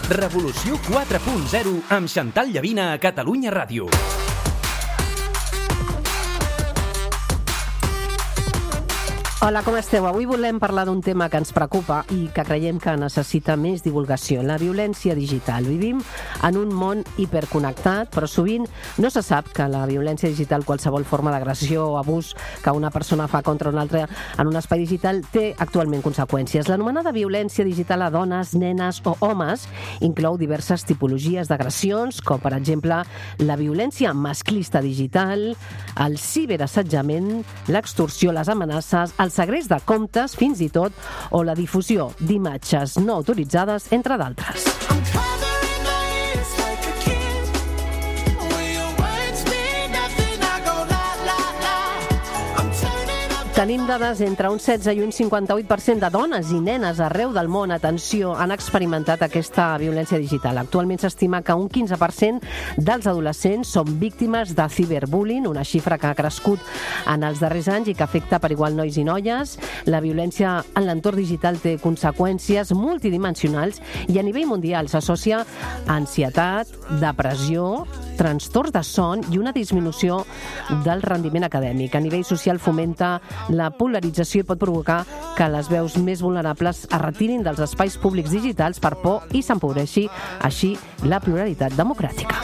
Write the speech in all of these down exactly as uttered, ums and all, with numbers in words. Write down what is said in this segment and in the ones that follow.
Revolució quatre punt zero amb Xantal Llavina a Catalunya Ràdio. Hola, com esteu? Avui volem parlar d'un tema que ens preocupa i que creiem que necessita més divulgació, la violència digital. Vivim en un món hiperconnectat, però sovint no se sap que la violència digital, qualsevol forma d'agressió o abús que una persona fa contra una altra en un espai digital, té actualment conseqüències. L'anomenada violència digital a dones, nenes o homes inclou diverses tipologies d'agressions, com per exemple la violència masclista digital, el ciberassetjament, l'extorsió, les amenaces, el segrest de comptes, fins i tot, o la difusió d'imatges no autoritzades, entre d'altres. Tenim dades entre un setze i un cinquanta-vuit per cent de dones i nenes arreu del món, atenció, han experimentat aquesta violència digital. Actualment s'estima que un quinze per cent dels adolescents són víctimes de ciberbullying, una xifra que ha crescut en els darrers anys i que afecta per igual nois i noies. La violència en l'entorn digital té conseqüències multidimensionals i a nivell mundial s'associa a ansietat, depressió, trastorns de son i una disminució del rendiment acadèmic. A nivell social fomenta la polarització i pot provocar que les veus més vulnerables es retirin dels espais públics digitals per por i s'empobreixi així la pluralitat democràtica.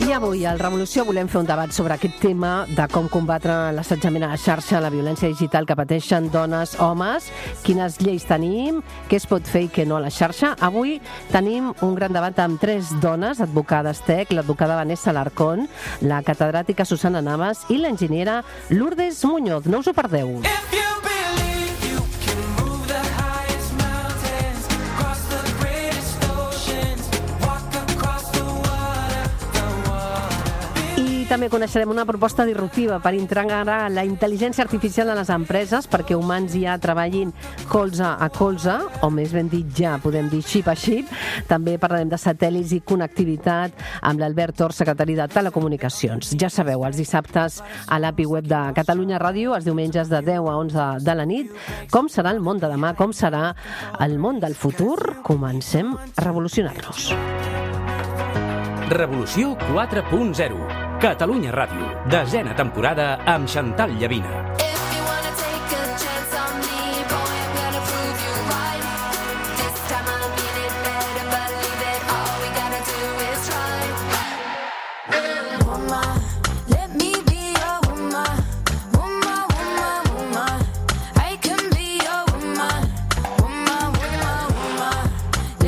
I avui al Revolució volem fer un debat sobre aquest tema de com combatre l'assetjament a la xarxa, la violència digital que pateixen dones, homes, quines lleis tenim, què es pot fer i què no a la xarxa. Avui tenim un gran debat amb tres dones, advocades tec, l'advocada Vanessa Alarcón, la catedràtica Susana Navas i l'enginyera Lourdes Muñoz. No us ho perdeu. També coneixerem una proposta disruptiva per integrar la intel·ligència artificial a les empreses perquè humans ja treballin colze a colze, o més ben dit ja podem dir xip a xip. També parlarem de satèl·lits i connectivitat amb l'Albert Tor, secretari de Telecomunicacions. Ja sabeu, els dissabtes a l'A P I web de Catalunya Ràdio, els diumenges de deu a onze de la nit. Com serà el món de demà? Com serà el món del futur? Comencem a revolucionar-nos. Revolució quatre punt zero. Catalunya Ràdio, desena temporada amb Xantal Llavina.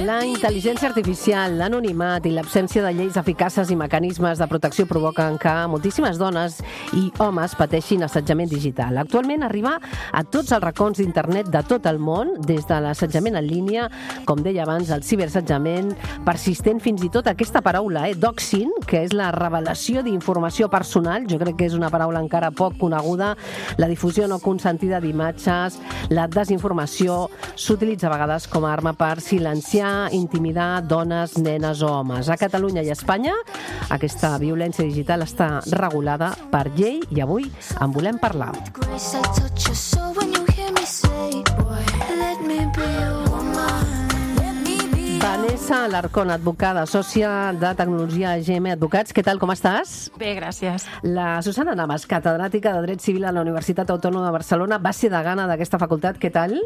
La intel·ligència artificial, l'anonimat i l'absència de lleis eficaces i mecanismes de protecció provoquen que moltíssimes dones i homes pateixin assetjament digital. Actualment arriba a tots els racons d'internet de tot el món, des de l'assetjament en línia, com deia abans, el ciberassetjament persistent, fins i tot aquesta paraula, eh, doxing, que és la revelació d'informació personal. Jo crec que és una paraula encara poc coneguda. La difusió no consentida d'imatges, la desinformació s'utilitza a vegades com a arma per silenciar, intimidar dones, nenes o homes. A Catalunya i a Espanya aquesta violència digital està regulada per llei i avui en volem parlar. Vanessa Alarcón, advocada, sòcia de tecnologia G M Advocats. Què tal, com estàs? Bé, gràcies. La Susana Navas, catedràtica de Dret Civil a la Universitat Autònoma de Barcelona, va ser degana d'aquesta facultat. Què tal?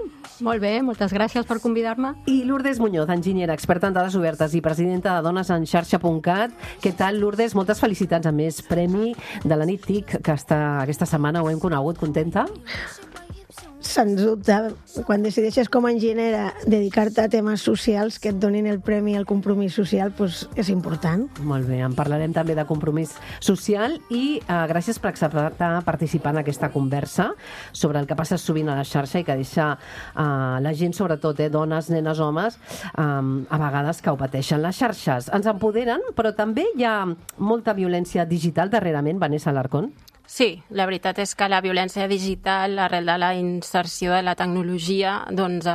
Molt bé, moltes gràcies per convidar-me. I Lourdes Muñoz, enginyera, experta en dades obertes i presidenta de Dones en Xarxa punt cat. Què tal, Lourdes? Moltes felicitats, a més, premi de la nit TIC, que està, aquesta setmana ho hem conegut. Contenta? Sens dubte, quan decideixes com a enginyera dedicar-te a temes socials que et donin el premi al compromís social, doncs és important. Molt bé, en parlarem també de compromís social i eh, gràcies per acceptar participar en aquesta conversa sobre el que passa sovint a la xarxa i que deixa eh, la gent, sobretot, eh, dones, nenes, homes, eh, a vegades que ho pateixen. Les xarxes ens empoderen, però també hi ha molta violència digital darrerament, Vanessa Alarcón. Sí, la veritat és que la violència digital, arrel de la inserció de la tecnologia, doncs eh,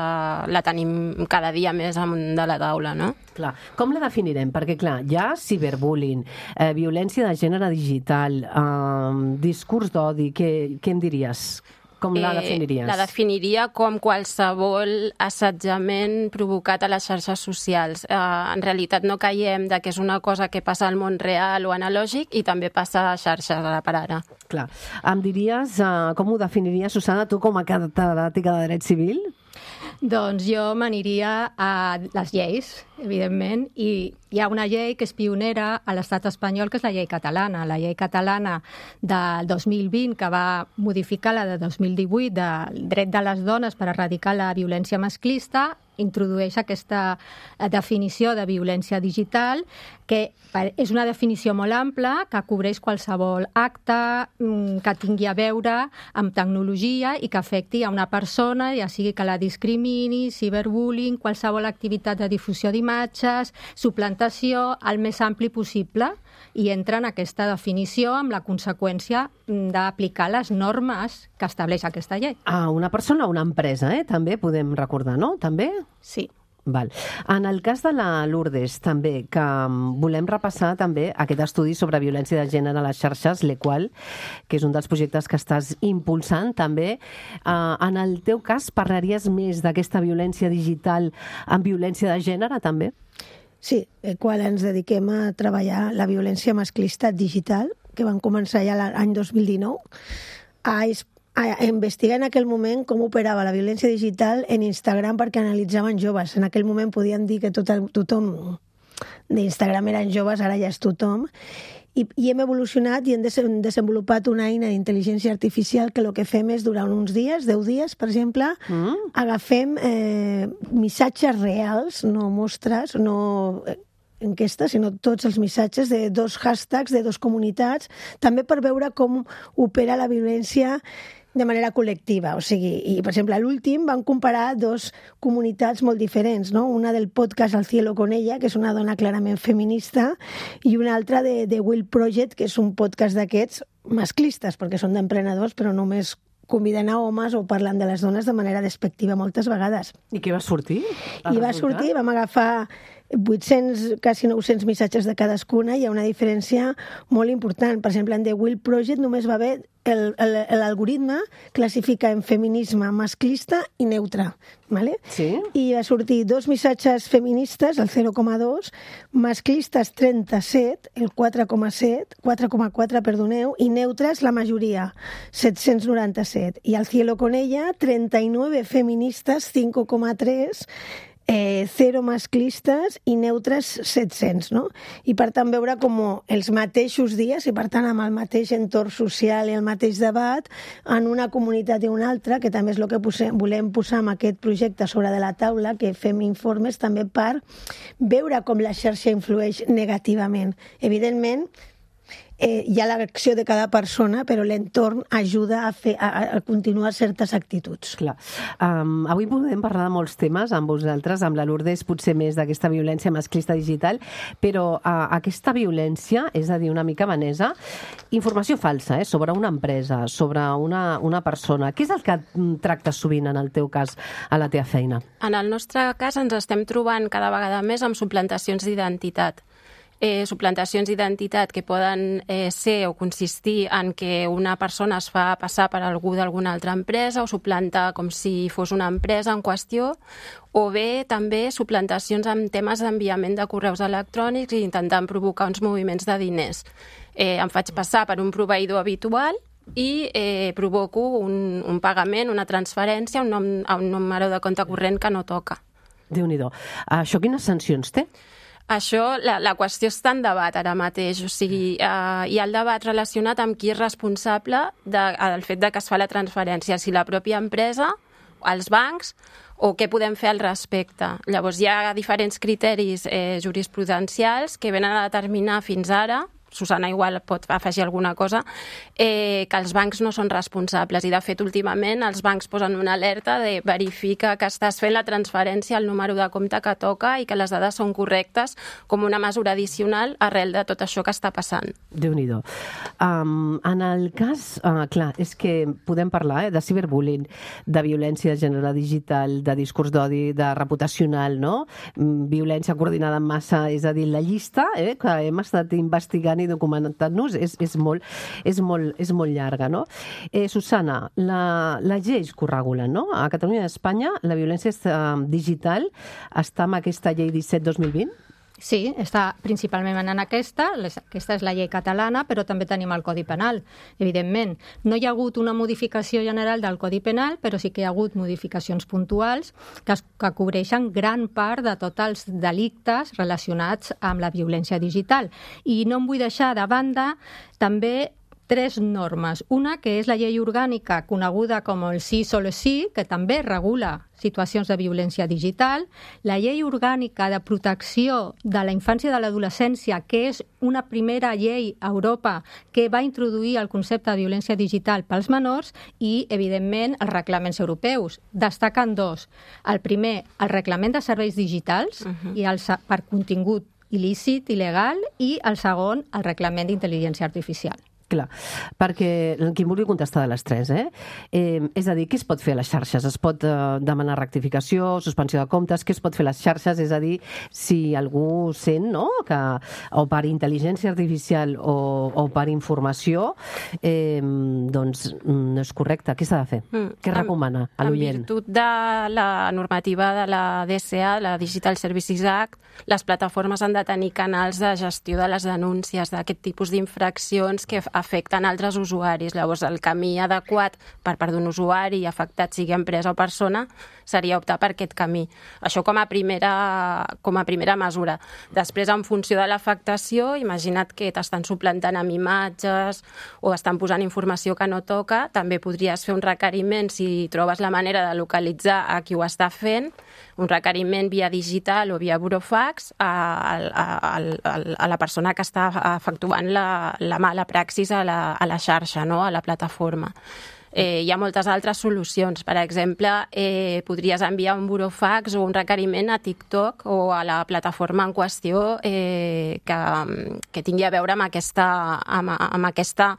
la tenim cada dia més amunt de la taula, no? Clar. Com la definirem? Perquè, clar, hi ha ciberbullying, eh, violència de gènere digital, eh, discurs d'odi, què, què em diries? Com la definiries? Eh, la definiria com qualsevol assetjament provocat a les xarxes socials. Eh, en realitat no caiem de que és una cosa que passa al món real o analògic i també passa a xarxes ara per ara. Clar. Em diries, eh, com ho definiries, Susana, tu com a catedràtica de dret civil? Doncs jo m'aniria a les lleis, evidentment, i hi ha una llei que és pionera a l'estat espanyol, que és la llei catalana. La llei catalana del dos mil vint, que va modificar la de dos mil divuit del dret de les dones per erradicar la violència masclista, introdueix aquesta definició de violència digital, que és una definició molt ampla, que cobreix qualsevol acte que tingui a veure amb tecnologia i que afecti a una persona, ja sigui que la discrimini, ciberbullying, qualsevol activitat de difusió d'imatges, suplantació, el més ampli possible, i entra en aquesta definició amb la conseqüència d'aplicar les normes que estableix aquesta llei. Ah, una persona o una empresa, eh? També podem recordar, no? També? Sí. Val. En el cas de la Lourdes, també, que volem repassar també aquest estudi sobre violència de gènere a les xarxes, l'Equal, que és un dels projectes que estàs impulsant, també. Uh, en el teu cas, parlaries més d'aquesta violència digital amb violència de gènere, també? Sí, Equal ens dediquem a treballar la violència masclista digital, que van començar ja l'any dos mil dinou, a a investigar en aquell moment com operava la violència digital en Instagram perquè analitzaven joves. En aquell moment podien dir que tot el, tothom d'Instagram eren joves, ara ja és tothom. I, i hem evolucionat i hem desenvolupat una eina d'intel·ligència artificial que el que fem és, durant uns dies, deu dies, per exemple, mm. agafem eh, missatges reals, no mostres, no enquestes, sinó tots els missatges de dos hashtags, de dos comunitats, també per veure com opera la violència de manera col·lectiva. O sigui, i, per exemple, a l'últim van comparar dos comunitats molt diferents, no? Una del podcast Al cielo con ella, que és una dona clarament feminista, i una altra de, de Will Project, que és un podcast d'aquests masclistes, perquè són d'emprenedors, però només conviden a homes o parlen de les dones de manera despectiva moltes vegades. I què va sortir? I va sortir, vam agafar vuit-cents, quasi nou-cents missatges de cadascuna, i hi ha una diferència molt important. Per exemple, en The Will Project només va haver l'algoritme classifica en feminisme masclista i neutre, ¿vale? Sí. I va sortir dos missatges feministes, el zero coma dos, masclistes trenta-set, el quatre coma set, quatre coma quatre, perdoneu, i neutres la majoria, set-cents noranta-set. I al cielo con ella, trenta-nueve feministes, cinco coma tres, Eh, zero masclistes i neutres set-cents, no? I per tant veure com els mateixos dies, i per tant amb el mateix entorn social i el mateix debat, en una comunitat i una altra, que també és el que posem, volem posar amb aquest projecte sobre de la taula, que fem informes també per veure com la xarxa influeix negativament. Evidentment, Eh, hi ha l'acció de cada persona, però l'entorn ajuda a, fer, a, a continuar certes actituds. Clar. Um, avui podem parlar de molts temes amb vosaltres, amb la Lourdes potser més d'aquesta violència masclista digital, però uh, aquesta violència, és a dir, una mica vanesa, informació falsa, eh, sobre una empresa, sobre una, una persona. Què és el que tractes sovint, en el teu cas, a la teva feina? En el nostre cas ens estem trobant cada vegada més amb suplantacions d'identitat. Eh, suplantacions d'identitat que poden eh, ser o consistir en que una persona es fa passar per algú d'alguna altra empresa o suplanta com si fos una empresa en qüestió, o bé també suplantacions amb temes d'enviament de correus electrònics i intentant provocar uns moviments de diners. Eh, em faig passar per un proveïdor habitual i eh, provoco un, un pagament, una transferència, un, nom, un número de compte corrent que no toca. Déu-n'hi-do. Això quines sancions té? Això, la, la qüestió està en debat ara mateix, o sigui, eh, hi ha el debat relacionat amb qui és responsable de, del fet de que es fa la transferència, si la pròpia empresa, els bancs, o què podem fer al respecte. Llavors hi ha diferents criteris eh, jurisprudencials que venen a determinar fins ara Susana igual pot afegir alguna cosa, eh, que els bancs no són responsables i de fet últimament els bancs posen una alerta de verifica que estàs fent la transferència al número de compte que toca i que les dades són correctes com una mesura addicional arrel de tot això que està passant. Déu-n'hi-do. Um, en el cas, uh, clar, és que podem parlar eh, de ciberbullying, de violència de gènere digital, de discurs d'odi, de reputacional, no? Violència coordinada en massa, és a dir, la llista eh, que hem estat investigant i documentant-nos és, és, molt, és, molt, és molt llarga, no? Eh, Susana, la, la lleis que ho regulen, no? A Catalunya i a Espanya la violència digital està amb aquesta llei disset dos mil vint? Sí, està principalment en aquesta, aquesta és la llei catalana, però també tenim el Codi Penal, evidentment. No hi ha hagut una modificació general del Codi Penal, però sí que hi ha hagut modificacions puntuals que, es, que cobreixen gran part de tots els delictes relacionats amb la violència digital. I no em vull deixar de banda també tres normes. Una, que és la llei orgànica coneguda com el Sí Solo Sí, que també regula situacions de violència digital, la llei orgànica de protecció de la infància i de l'adolescència, que és una primera llei a Europa que va introduir el concepte de violència digital pels menors i, evidentment, els reglaments europeus. Destaquen dos. El primer, el reglament de serveis digitals uh-huh. i el, per contingut il·lícit, il·legal, i el segon, el reglament d'intel·ligència artificial. Clar, perquè qui vulgui contestar de les tres, eh? eh? És a dir, què es pot fer a les xarxes? Es pot eh, demanar rectificació, suspensió de comptes? Què es pot fer a les xarxes? És a dir, si algú sent, no?, que o per intel·ligència artificial o, o per informació, eh, doncs no és correcte. Què s'ha de fer? Mm. Què recomana a l'oient? En virtut de la normativa de la D S A, la Digital Services Act, les plataformes han de tenir canals de gestió de les denúncies d'aquest tipus d'infraccions que afecten altres usuaris. Llavors, el camí adequat per part d'un usuari afectat, sigui empresa o persona, seria optar per aquest camí. Això com a primera, com a primera mesura. Després, en funció de l'afectació, imagina't que t'estan suplantant amb imatges o estan posant informació que no toca, també podries fer un requeriment, si trobes la manera de localitzar a qui ho està fent, un requeriment via digital o via burofax a, a, a, a la persona que està efectuant la, la mala praxis a la, a la xarxa, no?, a la plataforma. Eh, hi ha moltes altres solucions. Per exemple, eh, podries enviar un burofax o un requeriment a TikTok o a la plataforma en qüestió eh, que, que tingui a veure amb aquesta, amb, amb aquesta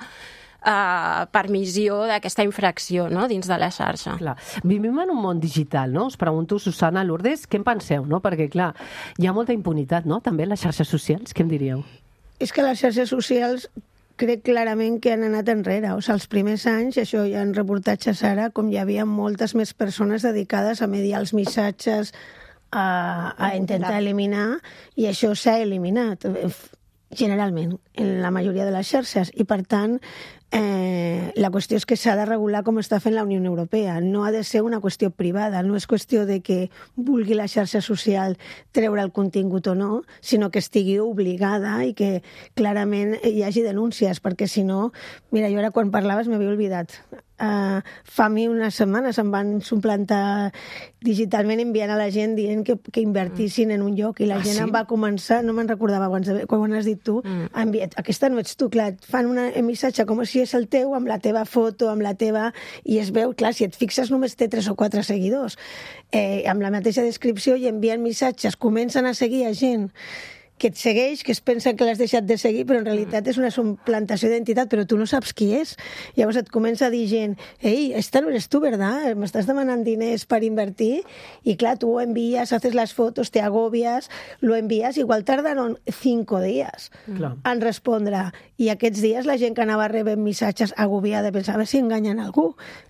Uh, permissió d'aquesta infracció, no?, dins de la xarxa. Clar. Vivim en un món digital, no? Us pregunto, Susana, Lourdes, què en penseu, no? Perquè, clar, hi ha molta impunitat, no?, també en les xarxes socials. Què em diríeu? És que les xarxes socials crec clarament que han anat enrere. O sigui, els primers anys, això hi ha reportatges ara, com hi havia moltes més persones dedicades a mediar els missatges, a, a intentar eliminar, i això s'ha eliminat generalment en la majoria de les xarxes, i per tant eh, la qüestió és que s'ha de regular com està fent la Unió Europea. No ha de ser una qüestió privada, no és qüestió de que vulgui la xarxa social treure el contingut o no, sinó que estigui obligada i que clarament hi hagi denúncies, perquè si no, mira, jo ara quan parlaves m'havia oblidat. Uh, fa a mi unes setmanes em van suplantar digitalment enviant a la gent dient que, que invertissin en un lloc, i la ah, gent sí? em va començar, no me'n recordava quan, quan ho has dit tu, mm. enviat, aquesta no ets tu, clar, fan un missatge com si és el teu, amb la teva foto, amb la teva... i es veu, clar, si et fixes només té tres o quatre seguidors, eh, amb la mateixa descripció, i envien missatges, comencen a seguir a gent que et segueix, que es pensa que l'has deixat de seguir, però en realitat és una suplantació d'identitat, però tu no saps qui és. Llavors et comença a dir gent, ei, esta no eres tu, ¿verdad? M'estàs demanant diners per invertir? I clar, tu ho envies, haces las fotos, te agobias, lo envías, igual tardaron cinco días mm. en respondre. I aquests dies la gent que anava rebent missatges agobiada pensava, a veure si enganyen algú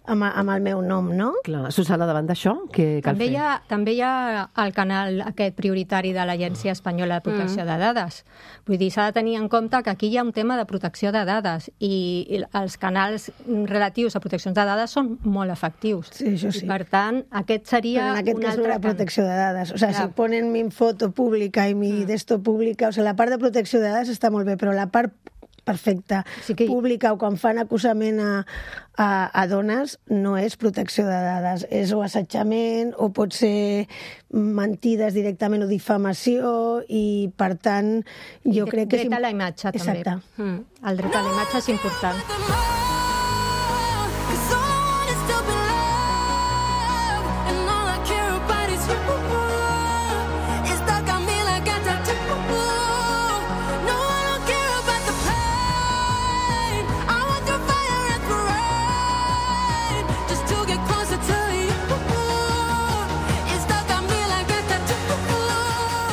amb, amb el meu nom, no? Clar, Susana, davant d'això, què cal també fer? Hi ha, també hi ha el canal aquest prioritari de l'Agència Espanyola de Protecció mm. de dades. Vull dir, s'ha de tenir en compte que aquí hi ha un tema de protecció de dades i els canals relatius a proteccions de dades són molt efectius. Sí, això sí. I per tant, aquest seria Però en aquest un cas altre no la protecció de dades. O sigui, Clar. si ponen mi foto pública i mi mm. d'esto pública, o sigui, la part de protecció de dades està molt bé, però la part perfecte, Sí que- pública, o quan fan acusament a, a, a dones, no és protecció de dades, és o assetjament, o pot ser mentides directament o difamació, i per tant jo Dret- crec que... és dret a im- la imatge, també. Exacte. Mm. El dret a la imatge és important.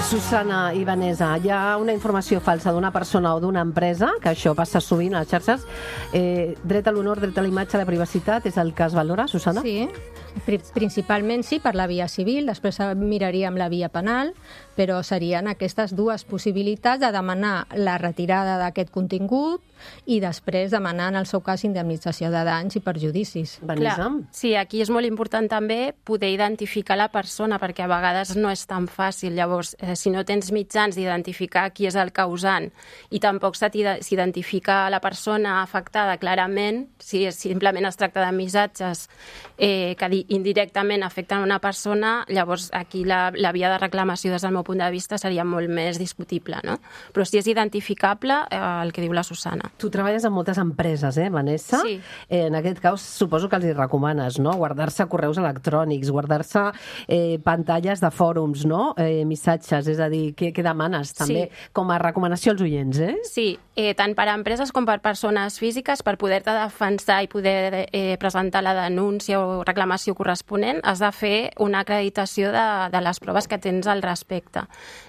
Susana i Vanessa, hi ha una informació falsa d'una persona o d'una empresa, que això passa sovint a les xarxes. Eh, dret a l'honor, dret a la imatge, a la privacitat, és el que es valora, Susana? Sí, pri- principalment sí, per la via civil, després miraríem la via penal, però serien aquestes dues possibilitats de demanar la retirada d'aquest contingut i després demanar, en el seu cas, indemnització de danys i perjudicis. Vanessa? Clar, sí, aquí és molt important també poder identificar la persona, perquè a vegades no és tan fàcil. Llavors, eh, si no tens mitjans d'identificar qui és el causant i tampoc se t'ide- s'identifica la persona afectada clarament, si és- simplement es tracta de missatges eh, que di- indirectament afecten una persona, llavors aquí la, la via de reclamació des del meu punt de vista seria molt més discutible, no? Però si és identificable, eh, el que diu la Susana. Tu treballes en moltes empreses, eh, Vanessa? Sí. Eh, en aquest cas, suposo que els hi recomanes, no? Guardar-se correus electrònics, guardar-se eh, pantalles de fòrums, no? Eh, missatges, és a dir, què, què demanes també Sí. com a recomanació als oients, eh? Sí, eh, tant per a empreses com per persones físiques, per poder-te defensar i poder eh, presentar la denúncia o reclamació corresponent, has de fer una acreditació de, de les proves que tens al respecte.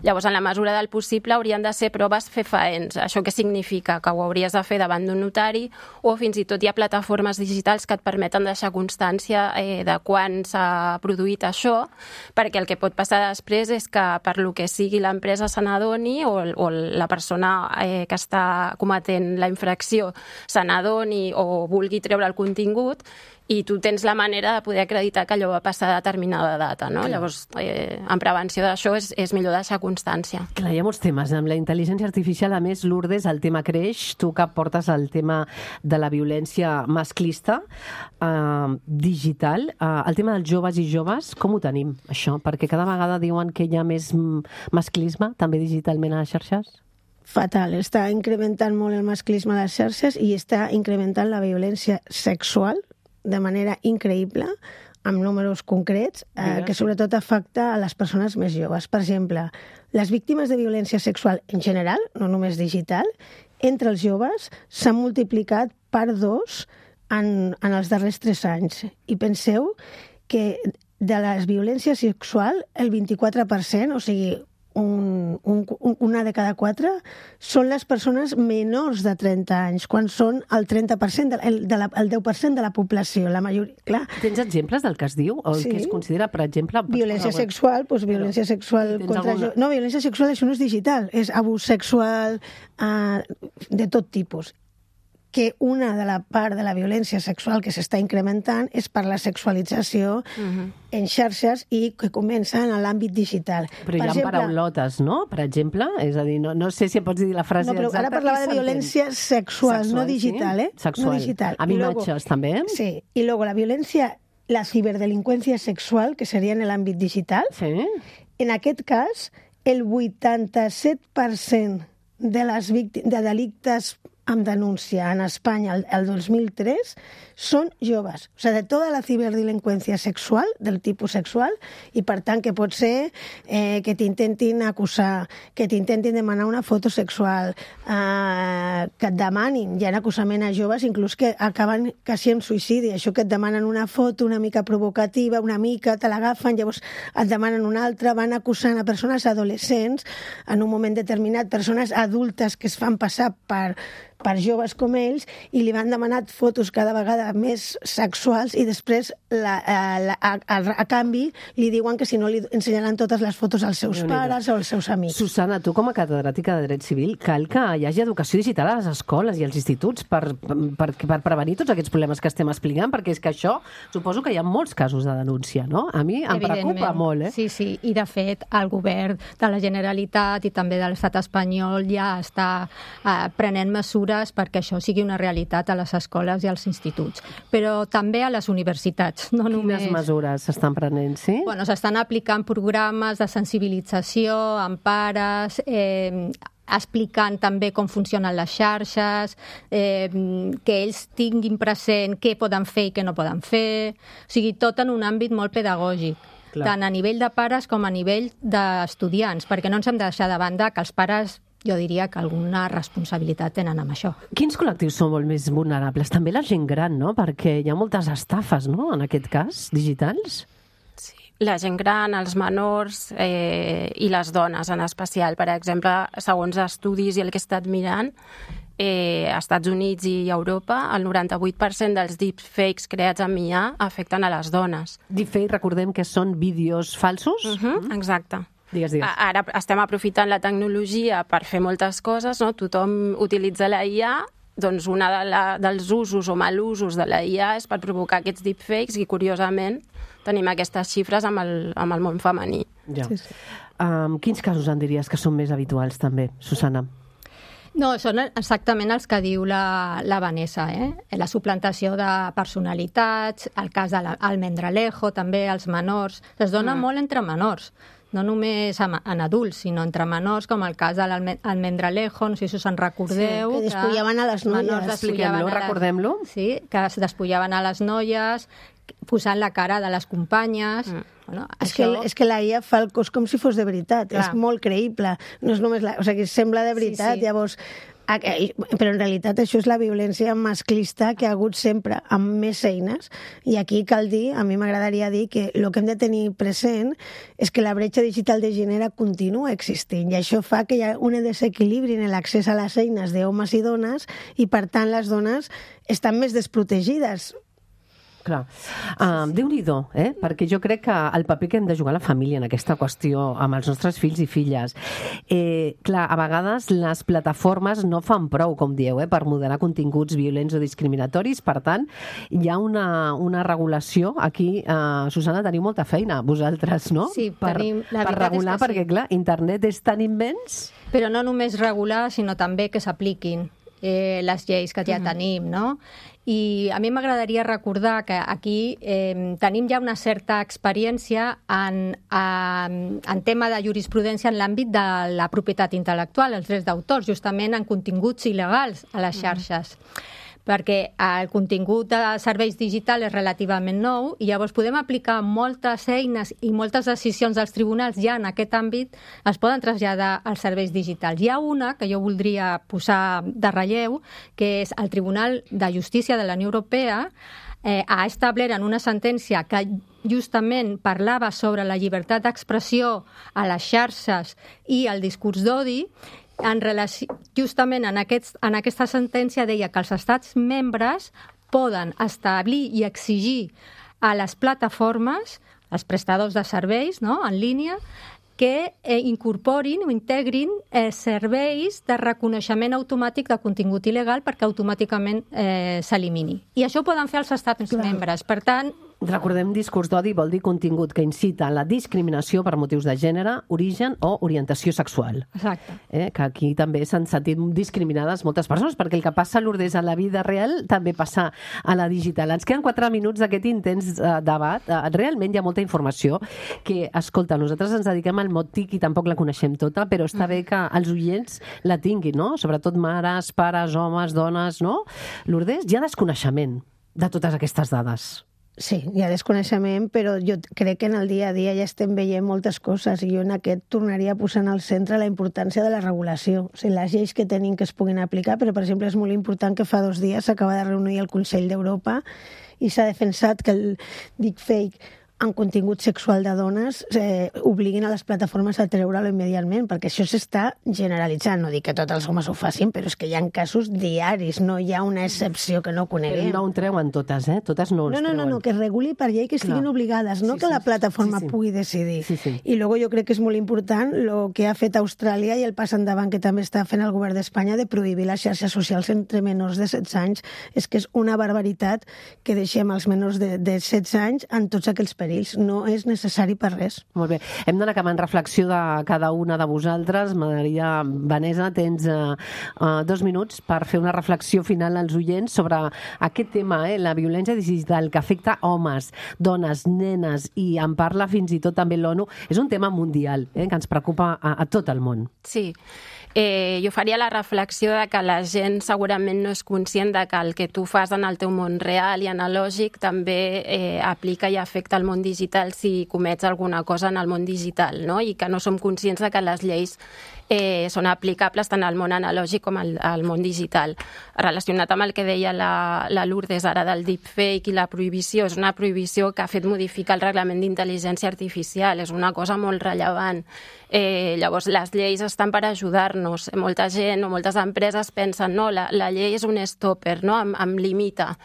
Llavors, en la mesura del possible, haurien de ser proves fefaents. Això què significa? Que ho hauries de fer davant d'un notari, o fins i tot hi ha plataformes digitals que et permeten deixar constància eh, de quan s'ha produït això, perquè el que pot passar després és que per lo que sigui l'empresa se n'adoni o, o la persona eh, que està cometent la infracció se n'adoni o vulgui treure el contingut, i tu tens la manera de poder acreditar que allò va passar a determinada data, no? Llavors, eh, en prevenció d'això és, és millor deixar constància. Clar, hi ha molts temes. Amb la intel·ligència artificial, a més, Lourdes, el tema creix. Tu que portes el tema de la violència masclista eh, digital. Eh, el tema dels joves i joves, com ho tenim, això? Perquè cada vegada diuen que hi ha més mm, masclisme, també digitalment a les xarxes. Fatal, està incrementant molt el masclisme a les xarxes i està incrementant la violència sexual de manera increïble, amb números concrets, eh, Digues, que sí. sobretot afecta a les persones més joves. Per exemple, les víctimes de violència sexual en general, no només digital, entre els joves s'han multiplicat per dos en, en els darrers tres anys. I penseu que de la violència sexual, el vint-i-quatre per cent, o sigui, un, un, una de cada quatre, són les persones menors de trenta anys, quan són el trenta per cent, de, el, de la, el deu per cent de la població. La majoria, clar, Tens exemples del que es diu? O el Sí. que es considera, per exemple... violència Bueno, sexual, doncs violència sexual tens contra... alguna- jo- No, violència sexual això no és digital, és abús sexual eh, de tot tipus. Que una de la part de la violència sexual que s'està incrementant és per la sexualització Mhm. en xarxes i que comença en l'àmbit digital. Però hi Per ha exemple, paraulotes, no? Per exemple, és a dir, no, no sé si em pots dir la frase No, però exacta. ara parlava que de s'entén. violència sexual, Sexual, no digital, sí? ¿eh? Sexual. No digital. Amb Y luego- imatges, també? Sí, y luego la violencia, la ciberdelinqüència sexual, que seria en l'àmbit digital, Sí. en aquest cas, el vuitanta-set per cent de les víctimes de delictes amb denúncia en Espanya el, el dos mil tres són joves. O sigui, de tota la ciberdelinqüència sexual, del tipus sexual, i per tant que pot ser eh, que t'intentin acusar, que t'intentin demanar una foto sexual, eh, que et demanin, hi ha acusament a joves inclús que acaben quasi en suïcidi, això que et demanen una foto una mica provocativa, una mica, te l'agafen, llavors et demanen una altra, van acusant a persones adolescents en un moment determinat, persones adultes que es fan passar per per joves com ells, i li van demanat fotos cada vegada més sexuals i després, la, a, la, a, a, a canvi, li diuen que si no li ensenyaran totes les fotos als seus Déu-n'hi-do. pares o als seus amics. Susana, tu com a catedràtica de Dret Civil, cal que hi hagi educació digital a les escoles i als instituts per, per, per prevenir tots aquests problemes que estem explicant, perquè és que això, suposo que hi ha molts casos de denúncia, no? A mi em preocupa molt, eh? Sí, sí, i de fet el govern de la Generalitat i també de l'estat espanyol ja està eh, prenent mesures mesures perquè això sigui una realitat a les escoles i als instituts, però també a les universitats. No només... Quines mesures s'estan prenent, sí? Bueno, s'estan aplicant programes de sensibilització amb pares, eh, explicant també com funcionen les xarxes, eh, que ells tinguin present què poden fer i què no poden fer, o sigui, tot en un àmbit molt pedagògic. Clar. Tant a nivell de pares com a nivell d'estudiants, perquè no ens hem de deixar de banda que els pares, jo diria que alguna responsabilitat tenen amb això. Quins col·lectius són molt més vulnerables? També la gent gran, no? Perquè hi ha moltes estafes, no?, en aquest cas, digitals. La gent gran, els menors eh, i les dones en especial. Per exemple, segons estudis i el que he estat mirant, eh, als Estats Units i Europa, el noranta-vuit per cent dels deepfakes creats amb I A afecten a les dones. Deepfake, recordem que són vídeos falsos? Uh-huh, exacte. Digues, digues. Ara estem aprofitant la tecnologia per fer moltes coses, no? Tothom utilitza la I A, doncs un de la, dels usos o malusos de la I A és per provocar aquests deepfakes i, curiosament, tenim aquestes xifres amb el, amb el món femení. Ja. Sí, sí. Um, quins casos en diries que són més habituals, també, Susana? No, són exactament els que diu la, la Vanessa, eh? La suplantació de personalitats, el cas de l'Almendralejo, també els menors. Es dona mm. molt entre menors, no només en adults, sinó entre menors, com el cas de l'Almendralejo, no sé si us en recordeu. Sí, que despullaven a les noies. Expliquem-lo, recordem-lo. Sí, que es despullaven a les noies, posant la cara de les companyes. Mm. Bueno, és, això... que, és que la I A fa el cos com si fos de veritat. Clar. És molt creïble. No és només la... O sigui, sembla de veritat, sí, sí. Llavors... Però en realitat això és la violència masclista que ha hagut sempre, amb més eines. I aquí cal dir, a mi m'agradaria dir, que el que hem de tenir present és que la bretxa digital de gènere continua existint, i això fa que hi ha un desequilibri en l'accés a les eines d'homes i dones, i per tant les dones estan més desprotegides. Clar. Uh, Déu-n'hi-do, eh? Perquè jo crec que el paper que hem de jugar a la família en aquesta qüestió, amb els nostres fills i filles, eh, clar, a vegades les plataformes no fan prou, com dieu, eh, per moderar continguts violents o discriminatoris. Per tant, hi ha una, una regulació. Aquí, uh, Susana, teniu molta feina, vosaltres, no? Sí, per, tenim... La per regular, perquè, sí. Clar, internet és tan immens... Però no només regular, sinó també que s'apliquin eh, les lleis que ja mm. tenim, no? I a mi m'agradaria recordar que aquí eh, tenim ja una certa experiència en, en, en tema de jurisprudència en l'àmbit de la propietat intel·lectual, els drets d'autors, justament en continguts il·legals a les xarxes. Mm. Perquè el contingut de serveis digitals és relativament nou i llavors podem aplicar moltes eines i moltes decisions dels tribunals ja en aquest àmbit es poden traslladar als serveis digitals. Hi ha una que jo voldria posar de relleu, que és el Tribunal de Justícia de la Unió Europea eh, ha establert en una sentència que justament parlava sobre la llibertat d'expressió a les xarxes i el discurs d'odi. En relació, justament en, aquests, en aquesta sentència deia que els estats membres poden establir i exigir a les plataformes, als prestadors de serveis, no?, en línia, que eh, incorporin o integrin eh, serveis de reconeixement automàtic de contingut il·legal perquè automàticament eh, s'elimini. I això ho poden fer els estats Clar. membres. Per tant, recordem, discurs d'odi vol dir contingut que incita a la discriminació per motius de gènere, origen o orientació sexual. Exacte. Eh? Que aquí també s'han sentit discriminades moltes persones, perquè el que passa, Lourdes, a la vida real també passa a la digital. Ens queden quatre minuts d'aquest intens eh, debat. Eh, realment hi ha molta informació que, escolta, nosaltres ens dediquem al mot TIC i tampoc la coneixem tota, però està bé que els oients la tinguin, no? Sobretot mares, pares, homes, dones, no? Lourdes, hi ha desconeixement de totes aquestes dades. Sí, hi ha desconeixement, però jo crec que en el dia a dia ja estem veient moltes coses i jo en aquest tornaria a posar en el centre la importància de la regulació. O sigui, les lleis que tenim que es puguin aplicar, però, per exemple, és molt important que fa dos dies s'acaba de reunir el Consell d'Europa i s'ha defensat que el deepfake en contingut sexual de dones eh, obliguin a les plataformes a treure-lo immediatament, perquè això s'està generalitzant. No dic que tots els homes ho facin, però és que hi ha casos diaris, no hi ha una excepció que no coneguem. Però no ho treuen totes, eh? Totes no els no, no, treuen. No, no, que es reguli per llei que estiguin Clar. obligades, no sí, que sí, la plataforma sí, sí. pugui decidir. Sí, sí. I luego jo crec que és molt important el que ha fet Austràlia i el pas endavant que també està fent el govern d'Espanya de prohibir les xarxes socials entre menors de setze anys. És que és una barbaritat que deixem els menors de, de setze anys en tots aquells països. perills. No és necessari per res. Molt bé. Hem d'anar acabant reflexió de cada una de vosaltres. M'agradaria, Vanessa, tens uh, uh, dos minuts per fer una reflexió final als oients sobre aquest tema, eh, la violència digital que afecta homes, dones, nenes, i en parla fins i tot també l'ONU. És un tema mundial, eh, que ens preocupa a, a tot el món. Sí. Eh, jo faria la reflexió de que la gent segurament no és conscient de que el que tu fas en el teu món real i analògic també eh, aplica i afecta el món digital si comets alguna cosa en el món digital, no? I que no som conscients de que les lleis eh, són aplicables tant al món analògic com al, al món digital. Relacionat amb el que deia la, la Lourdes ara del deepfake i la prohibició, és una prohibició que ha fet modificar el reglament d'intel·ligència artificial, és una cosa molt rellevant. Eh, llavors, les lleis estan per ajudar-nos. Molta gent o moltes empreses pensen no, la, la llei és un stopper, no? em, em limita.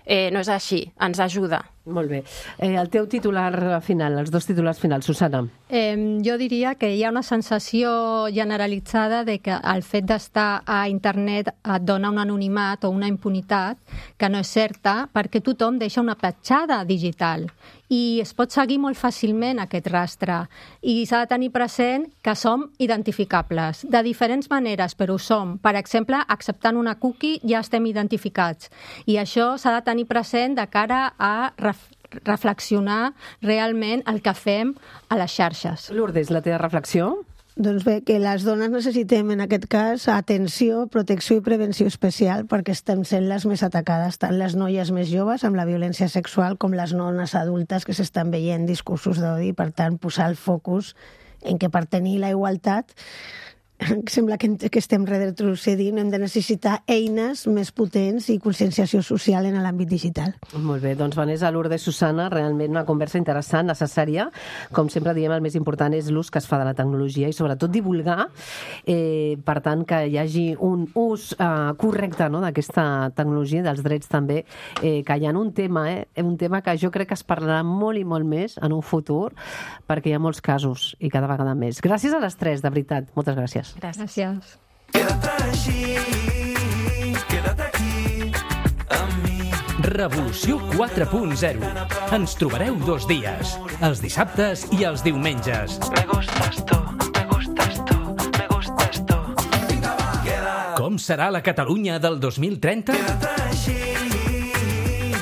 Eh, no és així, ens ajuda. Molt bé. Eh, el teu titular final, els dos titulars finals, Susana. Eh, jo diria que hi ha una sensació generalitzada de que el fet d'estar a internet et dona un anonimat o una impunitat que no és certa, perquè tothom deixa una petjada digital i es pot seguir molt fàcilment aquest rastre. I s'ha de tenir present que som identificables de diferents maneres, però ho som. Per exemple, acceptant una cookie ja estem identificats. I això s'ha de tenir present de cara a reflexionar realment el que fem a les xarxes. Lourdes, la teva reflexió? Doncs bé, que les dones necessitem en aquest cas atenció, protecció i prevenció especial perquè estem sent les més atacades, tant les noies més joves amb la violència sexual com les dones adultes que s'estan veient discursos d'odi. Per tant, posar el focus en que per tenir la igualtat sembla que, que estem retrocedint, hem de necessitar eines més potents i conscienciació social en l'àmbit digital. Molt bé, doncs Vanessa, Lourdes, Susana, realment una conversa interessant, necessària. Com sempre diem, el més important és l'ús que es fa de la tecnologia i sobretot divulgar, eh, per tant, que hi hagi un ús eh, correcte, no?, d'aquesta tecnologia, dels drets també, eh, que hi ha un tema, eh, un tema que jo crec que es parlarà molt i molt més en un futur, perquè hi ha molts casos i cada vegada més. Gràcies a les tres, de veritat. Moltes gràcies. Gràcies. Queda't així, queda't aquí, amb mi. Revolució quatre punt zero. Ens trobareu dos dies, els dissabtes i els diumenges. Me gustas tú, me gustas tú, me gustas tú. Com serà la Catalunya del dos mil trenta? Queda't així,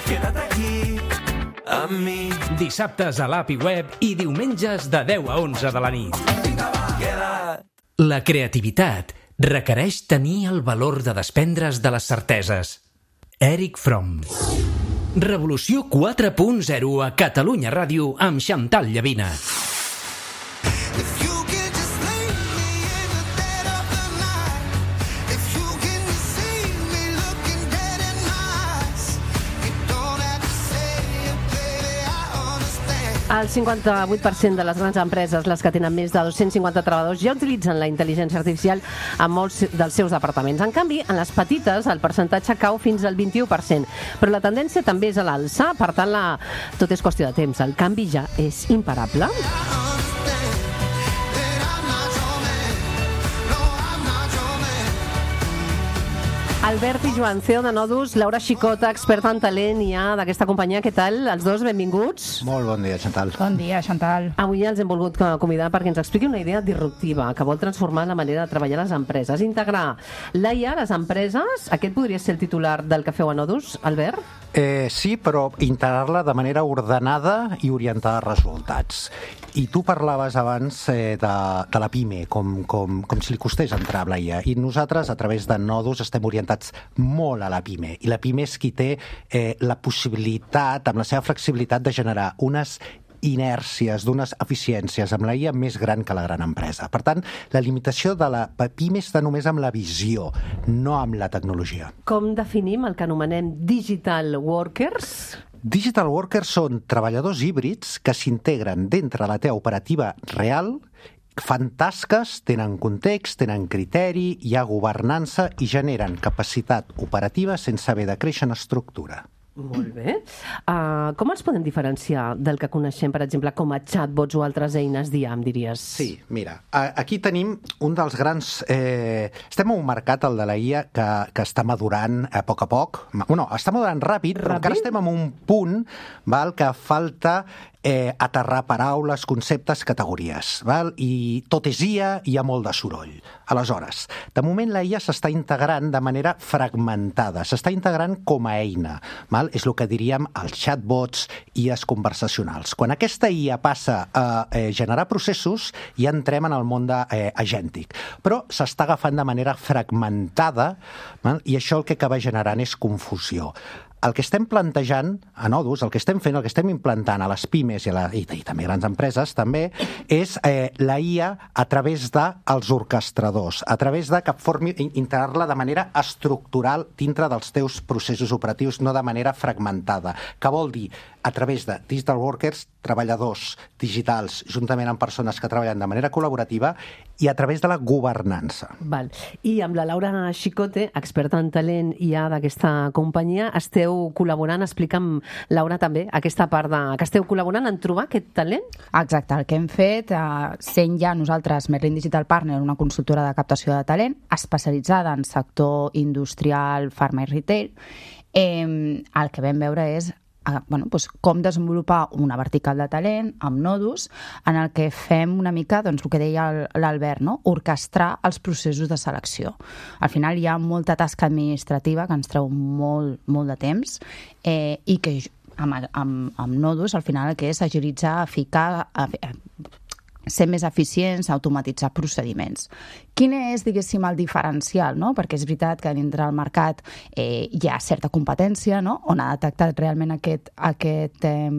queda't aquí, amb mi. Dissabtes a l'app i web i diumenges de deu a onze de la nit. Queda't. La creativitat requereix tenir el valor de desprendre's de les certeses. Eric Fromm. Revolució quatre punt zero a Catalunya Ràdio amb Chantal Llavina. El cinquanta-vuit per cent de les grans empreses, les que tenen més de dos-cents cinquanta treballadors, ja utilitzen la intel·ligència artificial en molts dels seus departaments. En canvi, en les petites, el percentatge cau fins al vint-i-u per cent. Però la tendència també és a l'alça, per tant, la... tot és qüestió de temps. El canvi ja és imparable. Albert i Joan, C E O de Nodus, Laura Xicota, experta en talent i ja d'aquesta companyia. Què tal? Els dos, benvinguts. Molt bon dia, Chantal. Bon dia, Chantal. Avui els hem volgut convidar perquè ens expliqui una idea disruptiva que vol transformar la manera de treballar les empreses, integrar l'A I a les empreses. Aquest podria ser el titular del que feu a Nodus, Albert? Eh, sí, però integrar-la de manera ordenada i orientada a resultats. I tu parlaves abans eh, de, de la PIME, com, com, com si li costés entrar a l'A I A. I nosaltres, a través de Nodus, estem orientats molt a la PIME. I la PIME és qui té eh, la possibilitat, amb la seva flexibilitat, de generar unes inèrcies, d'unes eficiències amb l'A I A més gran que la gran empresa. Per tant, la limitació de la PIME està només amb la visió, no amb la tecnologia. Com definim el que anomenem digital workers? Digital workers són treballadors híbrids que s'integren dintre la teva operativa real, fan tasques, tenen context, tenen criteri, hi ha governança i generen capacitat operativa sense haver de créixer en estructura. Molt bé. Uh, com els podem diferenciar del que coneixem, per exemple, com a chatbots o altres eines d'I A M, diries? Sí, mira, aquí tenim un dels grans... Eh, estem en un mercat, el de la I A, que, que està madurant a poc a poc. Bueno, està madurant ràpid, ràpid? Però encara estem en un punt val, que falta eh, aterrar paraules, conceptes, categories, val? I tot és I A, hi ha molt de soroll. Aleshores, de moment la I A s'està integrant de manera fragmentada, s'està integrant com a eina, val? És el que diríem els chatbots, I As conversacionals. Quan aquesta I A passa a eh, generar processos, ja entrem en el món de, eh, agèntic. Però s'està agafant de manera fragmentada, val? I això el que acaba generant és confusió. El que estem plantejant a Nodus, el que estem fent, el que estem implantant a les pimes i, a la, i, i també grans empreses, també, és eh, la I A a través dels orquestradors, a través de que formi, integrar-la de manera estructural dintre dels teus processos operatius, no de manera fragmentada. Que vol dir, a través de digital workers, treballadors digitals, juntament amb persones que treballen de manera col·laborativa, i a través de la governança. Val. I amb la Laura Xicote, experta en talent I A d'aquesta companyia, esteu col·laborant, explica'm, Laura, també, aquesta part de... que esteu col·laborant en trobar aquest talent? Exacte, el que hem fet, eh, sent ja nosaltres Merlin Digital Partner, una consultora de captació de talent, especialitzada en sector industrial, farma i retail, eh, el que vam veure és a, bueno, doncs com desenvolupar una vertical de talent amb Nodus, en el que fem una mica, doncs, el que deia l'Albert, no? Orquestrar els processos de selecció. Al final hi ha molta tasca administrativa que ens treu molt, molt de temps eh, i que amb, amb, amb Nodus al final el que és agilitzar, ficar, ser més eficients, automatitzar procediments. Quin és, diguéssim, el diferencial, no? Perquè és veritat que dintre del mercat eh, hi ha certa competència, no? On ha detectat realment aquest, aquest eh,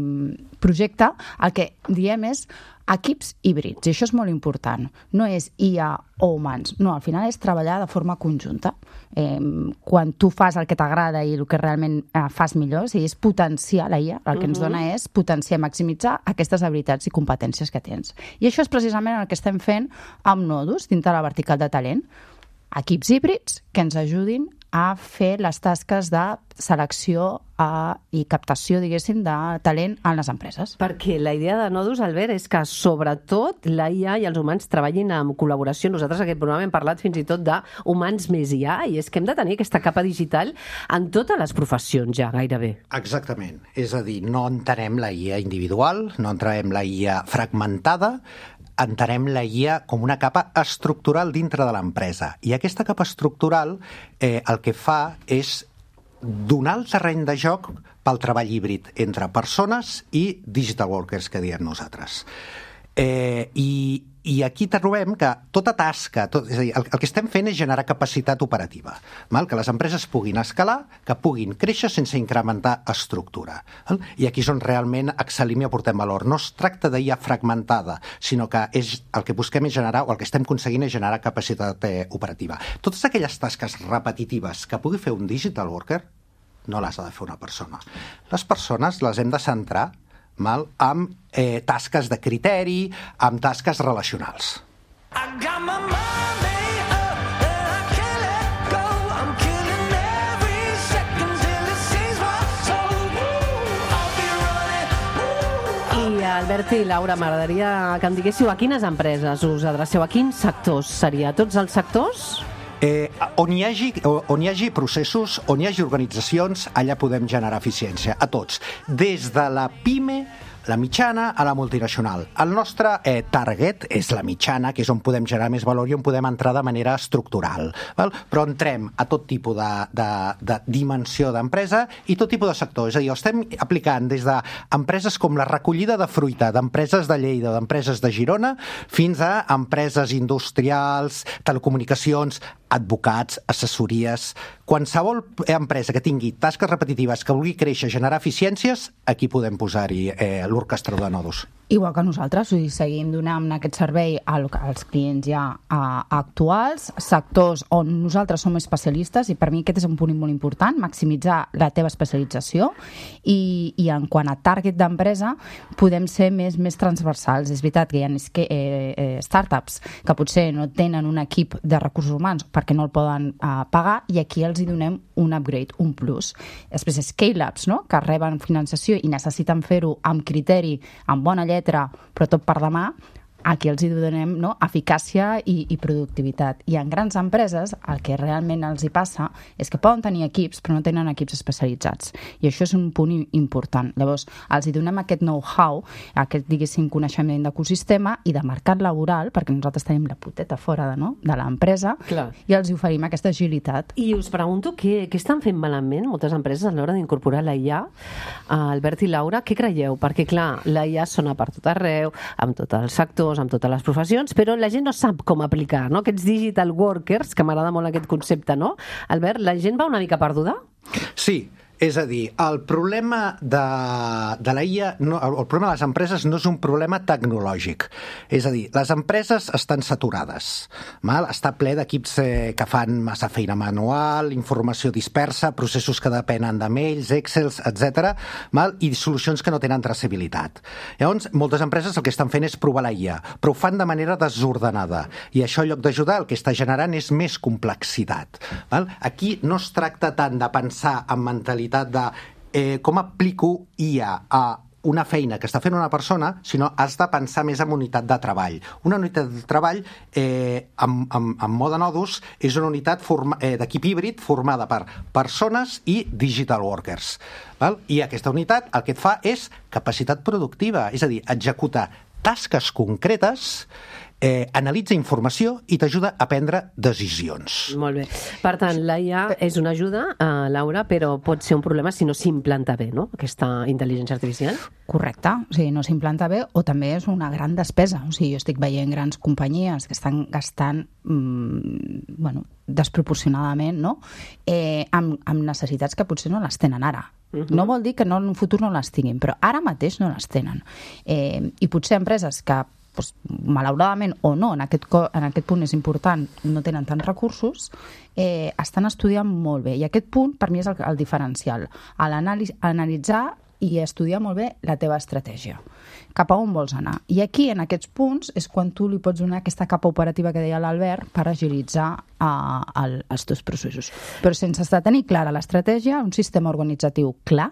projecte. El que diem és equips híbrids, i això és molt important. No és I A o humans, no, al final és treballar de forma conjunta. Eh, quan tu fas el que t'agrada i el que realment eh, fas millor, o sigui, és potenciar la I A, el que ens dona és potenciar, maximitzar aquestes habilitats i competències que tens. I això és precisament el que estem fent amb Nodus, dintre la vertical de talent. Equips híbrids que ens ajudin a fer les tasques de selecció a, i captació, diguéssim, de talent en les empreses. Perquè la idea de Nodus, Albert, és que sobretot la I A i els humans treballin en col·laboració. Nosaltres en aquest programa hem parlat fins i tot d'humans més I A, i és que hem de tenir aquesta capa digital en totes les professions ja, gairebé. Exactament. És a dir, no entenem la I A individual, no entenem la I A fragmentada, entenem la I A com una capa estructural dintre de l'empresa. I aquesta capa estructural eh, el que fa és donar el terreny de joc pel treball híbrid entre persones i digital workers, que diem nosaltres. Eh, i, I aquí trobem que tota tasca, tot, és a dir, el, el que estem fent és generar capacitat operativa, val? Que les empreses puguin escalar, que puguin créixer sense incrementar estructura. Val? I aquí és on realment excel·lim i aportem valor. No es tracta d'I A fragmentada, sinó que és, el que busquem és generar, o el que estem aconseguint és generar capacitat eh, operativa. Totes aquelles tasques repetitives que pugui fer un digital worker, no les ha de fer una persona. Les persones les hem de centrar mal, amb eh, tasques de criteri, amb tasques relacionals. I Albert i Laura, m'agradaria que em diguéssiu a quines empreses us adreceu, a quins sectors seria? Tots els sectors? Eh, on, hi hagi, on hi hagi processos, on hi hagi organitzacions, allà podem generar eficiència, a tots. Des de la PIME, la mitjana a la multinacional. El nostre eh, target és la mitjana, que és on podem generar més valor i on podem entrar de manera estructural. Val? Però entrem a tot tipus de, de, de dimensió d'empresa i tot tipus de sector. És a dir, estem aplicant des d'empreses com la recollida de fruita, d'empreses de Lleida, d'empreses de Girona, fins a empreses industrials, telecomunicacions, advocats, assessories. Qualsevol empresa que tingui tasques repetitives, que vulgui créixer, generar eficiències, aquí podem posar-hi eh, l'orquestrador de Nodus. Igual que nosaltres, o sigui, seguim donant aquest servei als clients ja a, a actuals, sectors on nosaltres som especialistes, i per mi aquest és un punt molt important, maximitzar la teva especialització, i, i en quant a target d'empresa podem ser més, més transversals. És veritat que hi ha eh, eh, startups que potser no tenen un equip de recursos humans perquè no el poden eh, pagar, i aquí els hi donem un upgrade, un plus. Després scale-ups, no?, que reben finançació i necessiten fer-ho amb criteri, amb bona lletra, però tot per demà, aquí els hi donem, no, eficàcia i, i productivitat. I en grans empreses el que realment els hi passa és que poden tenir equips però no tenen equips especialitzats. I això és un punt important. Llavors, els hi donem aquest know-how, aquest, diguéssim, coneixement d'ecosistema i de mercat laboral, perquè nosaltres tenim la puteta fora de, no, de l'empresa, Clar. i els hi oferim aquesta agilitat. I us pregunto què, què estan fent malament moltes empreses a l'hora d'incorporar la I A. Uh, Albert i Laura, què creieu? Perquè, clar, la I A sona per tot arreu, amb tots els sectors, amb totes les professions, però la gent no sap com aplicar, no? Aquests digital workers, que m'agrada molt aquest concepte, no? Albert, la gent va una mica perduda? Sí, és a dir, el problema de, de la I A, no, el problema de les empreses no és un problema tecnològic. És a dir, les empreses estan saturades. Mal? Està ple d'equips eh, que fan massa feina manual, informació dispersa, processos que depenen de mails, excels, etcètera, mal? I solucions que no tenen traçabilitat. Llavors, moltes empreses el que estan fent és provar la I A, però ho fan de manera desordenada. I això, en lloc d'ajudar, el que està generant és més complexitat. Val? Aquí no es tracta tant de pensar en mentalitat de eh, com aplico I A a una feina que està fent una persona, sinó has de pensar més en unitat de treball. Una unitat de treball eh, amb, amb, amb mode nodus és una unitat forma, eh, d'equip híbrid formada per persones i digital workers. Val? I aquesta unitat el que et fa és capacitat productiva, és a dir, executar tasques concretes, eh, analitza informació i t'ajuda a prendre decisions. Molt bé. Per tant, la I A és una ajuda, uh, Laura, però pot ser un problema si no s'implanta bé, no?, aquesta intel·ligència artificial. Correcte, o sigui, no s'implanta bé o també és una gran despesa. O sigui, jo estic veient grans companyies que estan gastant mmm, bueno, desproporcionadament, no?, eh, amb, amb necessitats que potser no les tenen ara. Uh-huh. No vol dir que no, en un futur no les tinguin, però ara mateix no les tenen. Eh, I potser empreses que pues, malauradament o no, en aquest, en aquest punt és important, no tenen tants recursos, eh, estan estudiant molt bé. I aquest punt, per mi, és el, el diferencial. A l'analitzar i estudiar molt bé la teva estratègia. Cap a on vols anar. I aquí, en aquests punts, és quan tu li pots donar aquesta capa operativa que deia l'Albert per agilitzar uh, el, els teus processos. Però sense tenir clara l'estratègia, un sistema organitzatiu clar,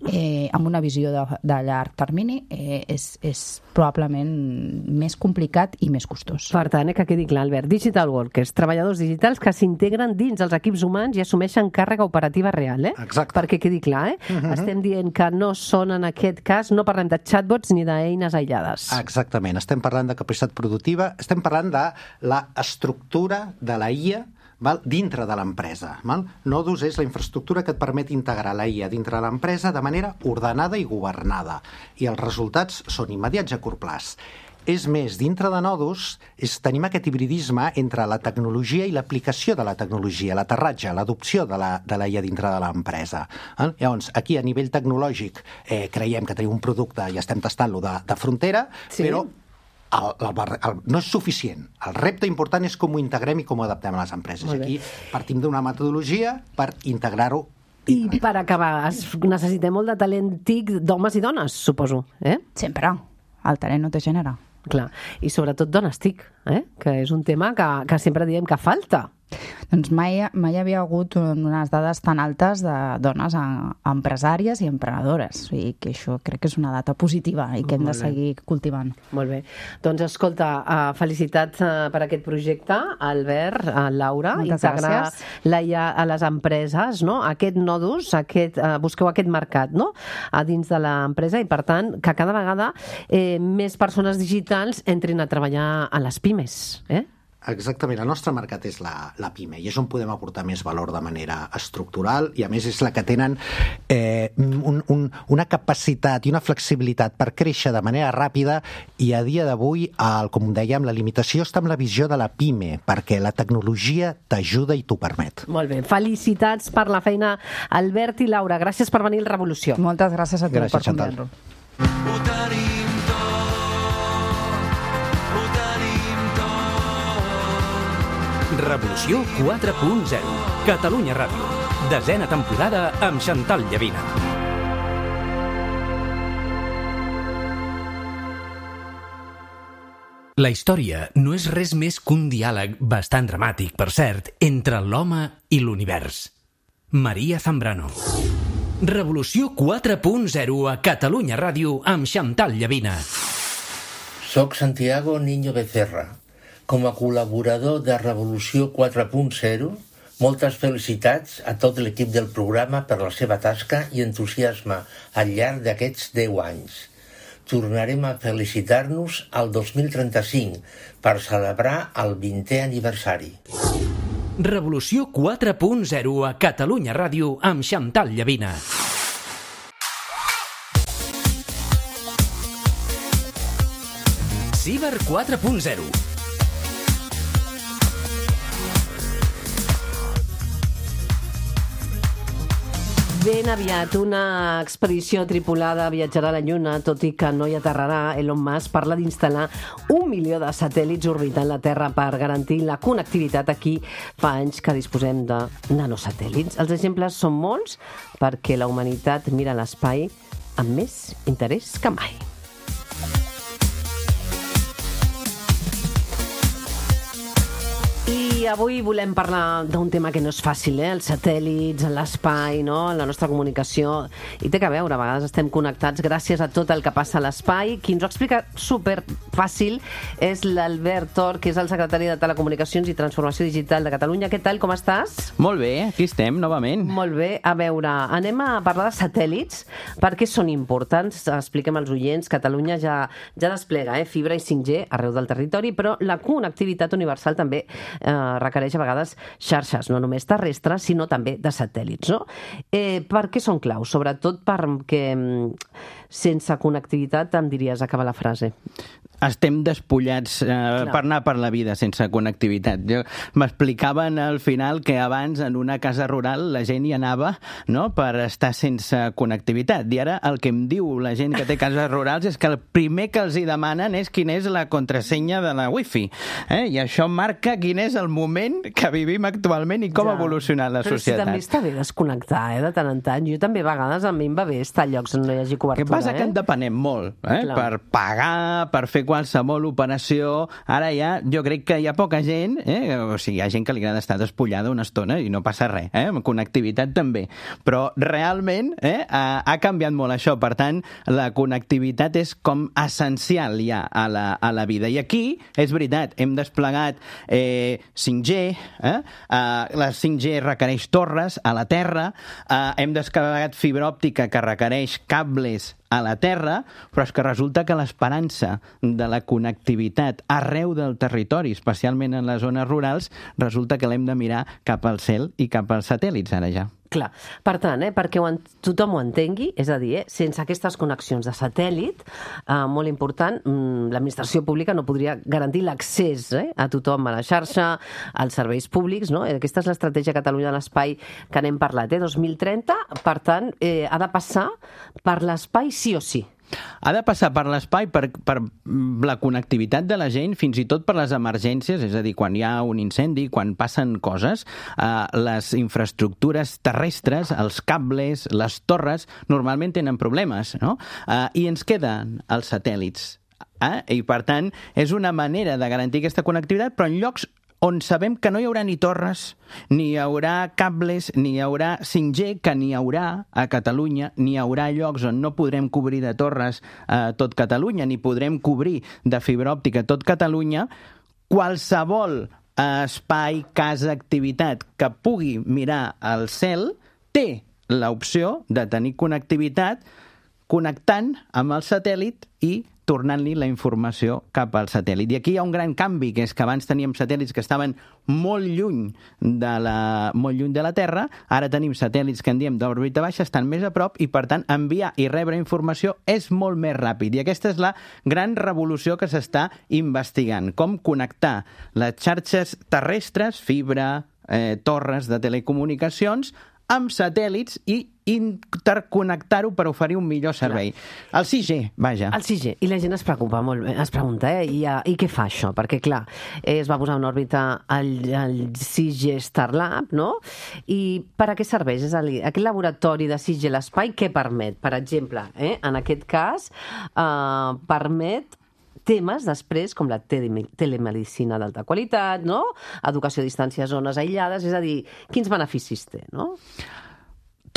eh, amb una visió de, de llarg termini, eh, és, és probablement més complicat i més costós. Per tant, eh, que quedi clar, Albert, digital workers, treballadors digitals que s'integren dins els equips humans i assumeixen càrrega operativa real, eh? Exacte. Perquè quedi clar, eh? Uh-huh. Estem dient que no són, en aquest cas, no parlem de chatbots ni d'eines aïllades. Exactament. Estem parlant de capacitat productiva, estem parlant de l'estructura de la I A, val? Dintre de l'empresa. Val? Nodus és la infraestructura que et permet integrar la I A dintre de l'empresa de manera ordenada i governada. I els resultats són immediats a curt plaç. És més, dintre de Nodus és, tenim aquest hibridisme entre la tecnologia i l'aplicació de la tecnologia, l'aterratge, l'adopció de la, de la I A dintre de l'empresa. Eh? Llavors, aquí a nivell tecnològic eh, creiem que tenim un producte i estem tastant-lo de, de frontera, sí. Però el, el, el, no és suficient. El repte important és com ho integrem i com ho adaptem a les empreses. Aquí partim d'una metodologia per integrar-ho. I per acabar, necessitem molt de talent TIC d'homes i dones, suposo. Eh? Sempre. El talent no té gènere. Clar, i sobretot dones TIC, eh? Que és un tema que, que sempre diem que falta. Doncs mai, mai havia hagut unes dades tan altes de dones empresàries i emprenedores. O sigui que això crec que és una data positiva i que hem de seguir cultivant. Molt bé. Doncs escolta, uh, felicitats uh, per aquest projecte, Albert, uh, Laura. Moltes integrar gràcies. la I A a les empreses, no? Aquest nodus, aquest, uh, busqueu aquest mercat, no?, a dins de l'empresa i, per tant, que cada vegada eh, més persones digitals entrin a treballar a les pimes, eh? Exactament, el nostre mercat és la, la PIME i és on podem aportar més valor de manera estructural i a més és la que tenen eh, un, un, una capacitat i una flexibilitat per créixer de manera ràpida i a dia d'avui, el, com dèiem, la limitació està amb la visió de la PIME perquè la tecnologia t'ajuda i t'ho permet. Molt bé, felicitats per la feina, Albert i Laura, gràcies per venir al Revolució. Moltes gràcies a tu gràcies, per Chantal. convidar-nos. Revolució quatre punt zero. Catalunya Ràdio. Desena temporada amb Chantal Llavina. La història no és res més que un diàleg bastant dramàtic, per cert, entre l'home i l'univers. Maria Zambrano. Revolució quatre punt zero a Catalunya Ràdio amb Chantal Llavina. Soc Santiago Niño Becerra. Com a col·laborador de Revolució quatre punt zero, moltes felicitats a tot l'equip del programa per la seva tasca i entusiasme al llarg d'aquests deu anys. Tornarem a felicitar-nos al dos mil trenta-cinc per celebrar el vintè aniversari. Revolució quatre punt zero a Catalunya Ràdio amb Xantal Llavina. Ciber quatre punt zero. Ben aviat, una expedició tripulada viatjarà a la Lluna, tot i que no hi aterrarà. Elon Musk parla d'instal·lar un milió de satèl·lits orbitant la Terra per garantir la connectivitat. Aquí fa anys que disposem de nanosatèl·lits. Els exemples són molts perquè la humanitat mira l'espai amb més interès que mai. I avui volem parlar d'un tema que no és fàcil, eh? Els satèl·lits, l'espai, no? La nostra comunicació. I té que veure, a vegades estem connectats gràcies a tot el que passa a l'espai. Qui ens ho explica super fàcil és l'Albert Tor, que és el secretari de Telecomunicacions i Transformació Digital de Catalunya. Què tal, com estàs? Molt bé, aquí estem, novament. Molt bé. A veure, anem a parlar de satèl·lits. Per què són importants? Expliquem als oients. Catalunya ja, ja desplega eh? fibra i cinc G arreu del territori, però la connectivitat universal també eh, requereix a vegades xarxes, no només terrestres, sinó també de satèl·lits, no? Eh, per què són claus? Sobretot perquè sense connectivitat, em diries, acaba la frase. Estem despullats eh, per anar per la vida sense connectivitat. Jo, m'explicaven al final que abans en una casa rural la gent hi anava, no?, per estar sense connectivitat. I ara el que em diu la gent que té cases rurals és que el primer que els hi demanen és quina és la contrasenya de la wifi. Eh? I això marca quin és el moment que vivim actualment i com ja. ha evolucionat la Però societat. Però si també està bé desconnectar, eh, de tant en tant. Jo també a vegades a mi em va bé estar a llocs on no hi hagi cobertura. Què passa? Eh? Que en depenem molt, eh? Clar. Per pagar, per fer qualsevol operació. Ara ja, jo crec que hi ha poca gent, eh? O sigui, hi ha gent que li agrada estar despullada una estona i no passa res, eh? Amb connectivitat també. Però realment eh? ha, ha canviat molt això. Per tant, la connectivitat és com essencial ja a la, a la vida. I aquí, és veritat, hem desplegat eh, cinc G, eh? Uh, la cinc G requereix torres a la Terra, uh, hem desplegat fibra òptica que requereix cables a la Terra, però és que resulta que l'esperança de la connectivitat arreu del territori, especialment en les zones rurals, resulta que l'hem de mirar cap al cel i cap als satèl·lits ara ja. Clar. Per tant, eh, perquè ho en, tothom ho entengui, és a dir, eh, sense aquestes connexions de satèl·lit, eh, molt important, mm, l'administració pública no podria garantir l'accés eh, a tothom a la xarxa, als serveis públics, no? Aquesta és l'estratègia Catalunya de l'Espai que n'hem parlat, eh? dos mil trenta, per tant, eh, ha de passar per l'espai sí o sí. Ha de passar per l'espai, per, per la connectivitat de la gent, fins i tot per les emergències, és a dir, quan hi ha un incendi, quan passen coses, eh, les infraestructures terrestres, els cables, les torres, normalment tenen problemes, no? Eh, I ens queden els satèl·lits. Eh? I, per tant, és una manera de garantir aquesta connectivitat, però en llocs on sabem que no hi haurà ni torres, ni hi haurà cables, ni hi haurà cinc G, que n'hi haurà a Catalunya, ni hi haurà llocs on no podrem cobrir de torres a tot Catalunya, ni podrem cobrir de fibra òptica tot Catalunya, qualsevol espai, casa, activitat que pugui mirar al cel té l'opció de tenir connectivitat connectant amb el satèl·lit i tornant-li la informació cap al satèl·lit. I aquí hi ha un gran canvi, que és que abans teníem satèl·lits que estaven molt lluny de la, molt lluny de la Terra, ara tenim satèl·lits que en diem d'òrbita baixa, estan més a prop i, per tant, enviar i rebre informació és molt més ràpid. I aquesta és la gran revolució que s'està investigant. Com connectar les xarxes terrestres, fibra, eh, torres de telecomunicacions, amb satèl·lits i interconnectar-ho per oferir un millor servei. Clar. El sis G, vaja. El sis G. I la gent es preocupa molt, es pregunta, eh? I, I què fa això? Perquè, clar, es va posar en òrbita el, el sis G Starlab, no? I per a què serveix? És a dir, aquest laboratori de sis G l'espai, què permet? Per exemple, eh? En aquest cas, eh, permet temes després com la telemedicina d'alta qualitat, no? Educació a distància a zones aïllades, és a dir, quins beneficis té, no?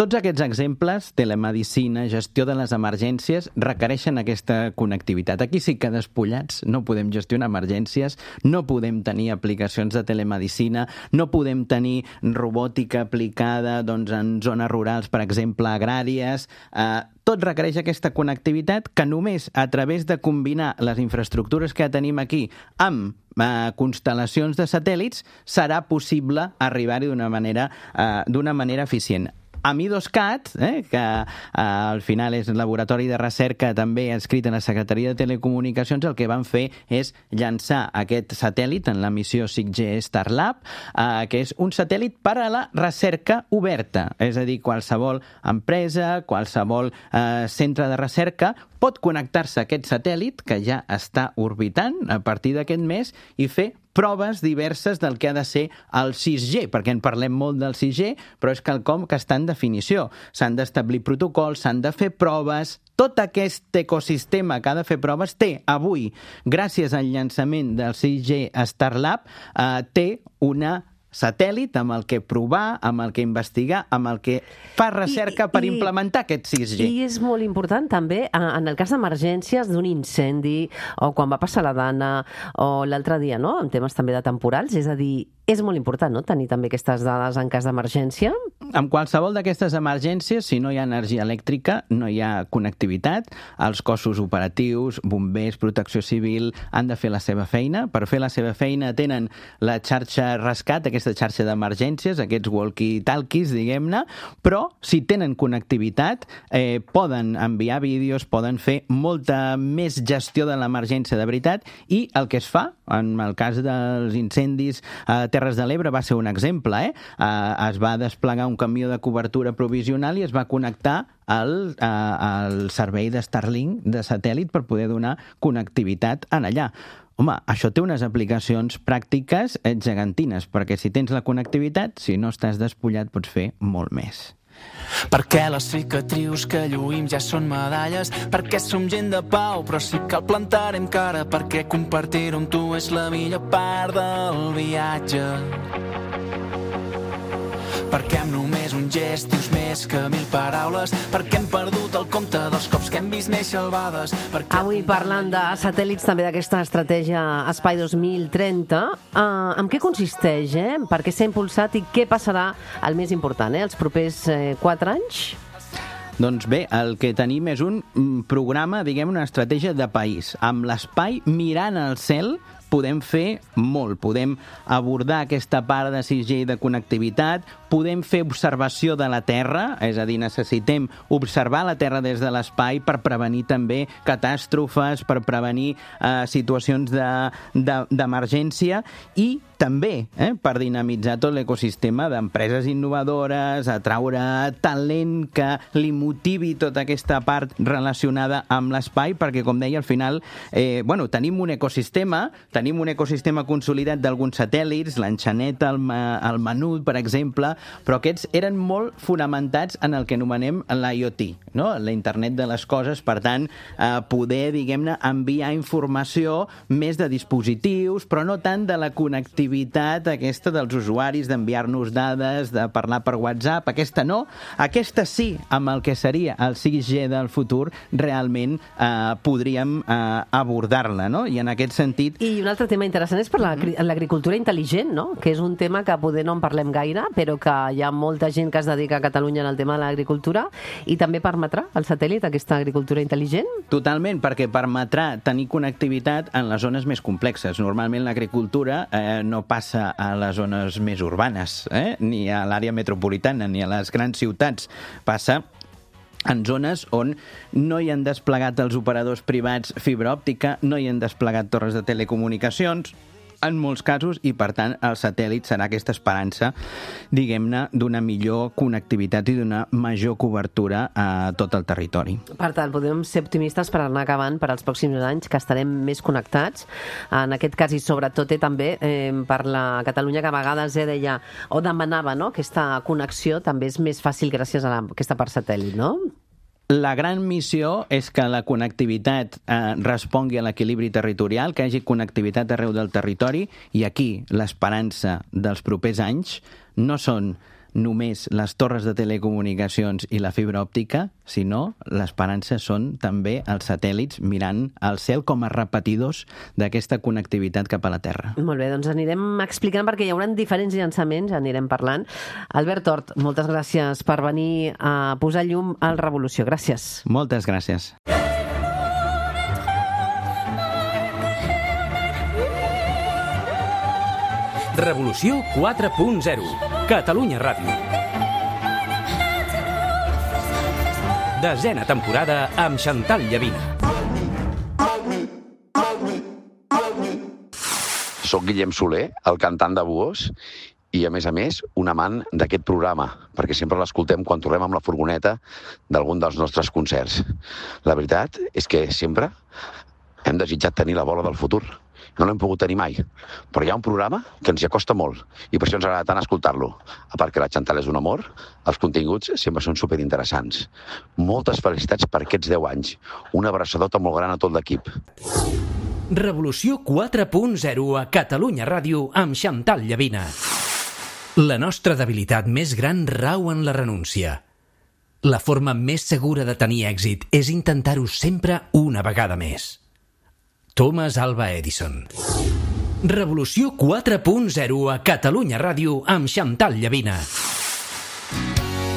tots aquests exemples, telemedicina, gestió de les emergències, requereixen aquesta connectivitat. Aquí sí que despullats no podem gestionar emergències, no podem tenir aplicacions de telemedicina, no podem tenir robòtica aplicada doncs, en zones rurals, per exemple, agràries. Eh, tot requereix aquesta connectivitat que només a través de combinar les infraestructures que tenim aquí amb eh, constel·lacions de satèl·lits serà possible arribar-hi d'una manera, eh, d'una manera eficient. Amidoscat, eh, que eh, al final és un laboratori de recerca també adscrit a la Secretaria de Telecomunicacions, el que van fer és llançar aquest satèl·lit en la missió cinc G Starlab, eh, que és un satèl·lit per a la recerca oberta. És a dir, qualsevol empresa, qualsevol eh, centre de recerca pot connectar-se a aquest satèl·lit que ja està orbitant a partir d'aquest mes i fer proves diverses del que ha de ser el sis G, perquè en parlem molt del sis G, però és quelcom que està en definició. S'han d'establir protocols, s'han de fer proves. Tot aquest ecosistema que ha de fer proves té avui, gràcies al llançament del sis G Starlab, eh, té una satèl·lit amb el que provar, amb el que investigar, amb el que fa recerca I, per i, implementar aquest sis G. I és molt important també en el cas d'emergències d'un incendi o quan va passar la Dana o l'altre dia, no? En temes també de temporals, és a dir, és molt important, no?, tenir també aquestes dades en cas d'emergència. En qualsevol d'aquestes emergències, si no hi ha energia elèctrica, no hi ha connectivitat, els cossos operatius, bombers, protecció civil, han de fer la seva feina. Per fer la seva feina tenen la xarxa rescat, aquesta xarxa d'emergències, aquests walkie-talkies, diguem-ne, però si tenen connectivitat, eh, poden enviar vídeos, poden fer molta més gestió de l'emergència de veritat, i el que es fa, en el cas dels incendis a Terres de l'Ebre va ser un exemple, eh? Eh, es va desplegar un camió de cobertura provisional i es va connectar al, eh, al servei de Starlink de satèl·lit per poder donar connectivitat en allà. Home, això té unes aplicacions pràctiques gegantines, perquè si tens la connectivitat, si no estàs despullat, pots fer molt més. Perquè les cicatrius que lluïm ja són medalles, perquè som gent de pau, però si cal plantarem cara, perquè compartir-ho amb tu és la millor part del viatge. Perquè amb només un gest dius més que mil paraules, perquè hem perdut el compte dels cops que hem vist néixer albades. Perquè... Avui parlant de satèl·lits, també d'aquesta estratègia Espai dos mil trenta, uh, en què consisteix, eh? Per què s'ha impulsat i què passarà el més important, eh? Els propers eh, quatre anys? Doncs bé, el que tenim és un programa, diguem, una estratègia de país. Amb l'espai mirant al cel podem fer molt, podem abordar aquesta part de sis G de connectivitat, podem fer observació de la Terra, és a dir, necessitem observar la Terra des de l'espai per prevenir també catàstrofes, per prevenir eh, situacions d'emergència de, de, i també eh, per dinamitzar tot l'ecosistema d'empreses innovadores, atraure talent que li motivi tota aquesta part relacionada amb l'espai, perquè, com deia, al final eh, bueno, tenim un ecosistema, tenim un ecosistema consolidat d'alguns satèl·lits, l'enxaneta, el, el menut, per exemple, però aquests eren molt fonamentats en el que anomenem l'IoT, no? La internet de les coses, per tant, eh, poder, diguem-ne, enviar informació més de dispositius, però no tant de la connectivitat aquesta dels usuaris, d'enviar-nos dades, de parlar per WhatsApp, aquesta no, aquesta sí, amb el que seria el sis G del futur, realment eh, podríem eh, abordar-la, no? I en aquest sentit... I un altre tema interessant és per l'agricultura intel·ligent, no? Que és un tema que poder no en parlem gaire, però que hi ha molta gent que es dedica a Catalunya en el tema de l'agricultura, i també permetrà el satèl·lit aquesta agricultura intel·ligent? Totalment, perquè permetrà tenir connectivitat en les zones més complexes. Normalment l'agricultura eh, no passa a les zones més urbanes, eh? Ni a l'àrea metropolitana, ni a les grans ciutats. Passa en zones on no hi han desplegat els operadors privats fibra òptica, no hi han desplegat torres de telecomunicacions, en molts casos, i per tant el satèl·lit serà aquesta esperança, diguem-ne, d'una millor connectivitat i d'una major cobertura a tot el territori. Per tant, podem ser optimistes per anar acabant per als pròxims anys, que estarem més connectats, en aquest cas, i sobretot eh, també eh, per la Catalunya, que a vegades eh, deia, o demanava, no?, aquesta connexió també és més fàcil gràcies a la, aquesta part satèl·lit, no? La gran missió és que la connectivitat eh, respongui a l'equilibri territorial, que hi hagi connectivitat arreu del territori, i aquí l'esperança dels propers anys no són només les torres de telecomunicacions i la fibra òptica, sinó l'esperança són també els satèl·lits mirant al cel com a repetidors d'aquesta connectivitat cap a la Terra. Molt bé, doncs anirem explicant perquè hi haurà diferents llançaments, anirem parlant. Albert Tort, moltes gràcies per venir a posar llum al Revolució. Gràcies. Moltes gràcies. Revolució quatre punt zero. Catalunya Ràdio. Desena temporada amb Chantal Llavina. Soc Guillem Soler, el cantant de Buós, i a més a més un amant d'aquest programa, perquè sempre l'escoltem quan tornem amb la furgoneta d'algun dels nostres concerts. La veritat és que sempre hem desitjat tenir la bola del futur. No l'hem pogut tenir mai, però hi ha un programa que ens hi acosta molt i per això ens agrada tant escoltar-lo. A part que la Chantal és un amor, els continguts sempre són superinteressants. Moltes felicitats per aquests deu anys. Una abraçadota molt gran a tot l'equip. Revolució quatre punt zero a Catalunya Ràdio amb Chantal Llavina. La nostra debilitat més gran rau en la renúncia. La forma més segura de tenir èxit és intentar-ho sempre una vegada més. Thomas Alva Edison. Revolució quatre punt zero a Catalunya Ràdio amb Chantal Llavina.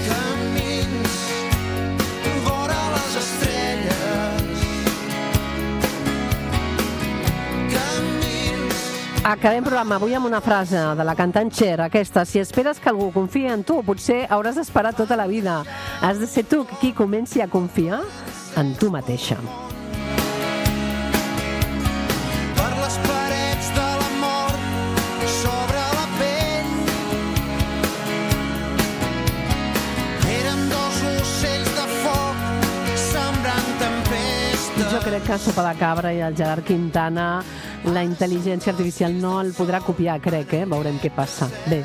Camins vora les estrelles. Camins. Acabem programa avui amb una frase de la cantant Cher, aquesta: si esperes que algú confiï en tu, potser hauràs d'esperar tota la vida. Has de ser tu qui comenci a confiar en tu mateixa. Jo crec que Sopa de Cabra i el Gerard Quintana, la intel·ligència artificial no el podrà copiar, crec, eh? Veurem què passa. Bé,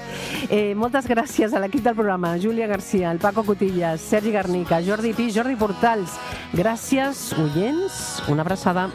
eh, moltes gràcies a l'equip del programa, Júlia Garcia, el Paco Cotillas, Sergi Garnica, Jordi Pi, Jordi Portals. Gràcies, oients, una abraçada.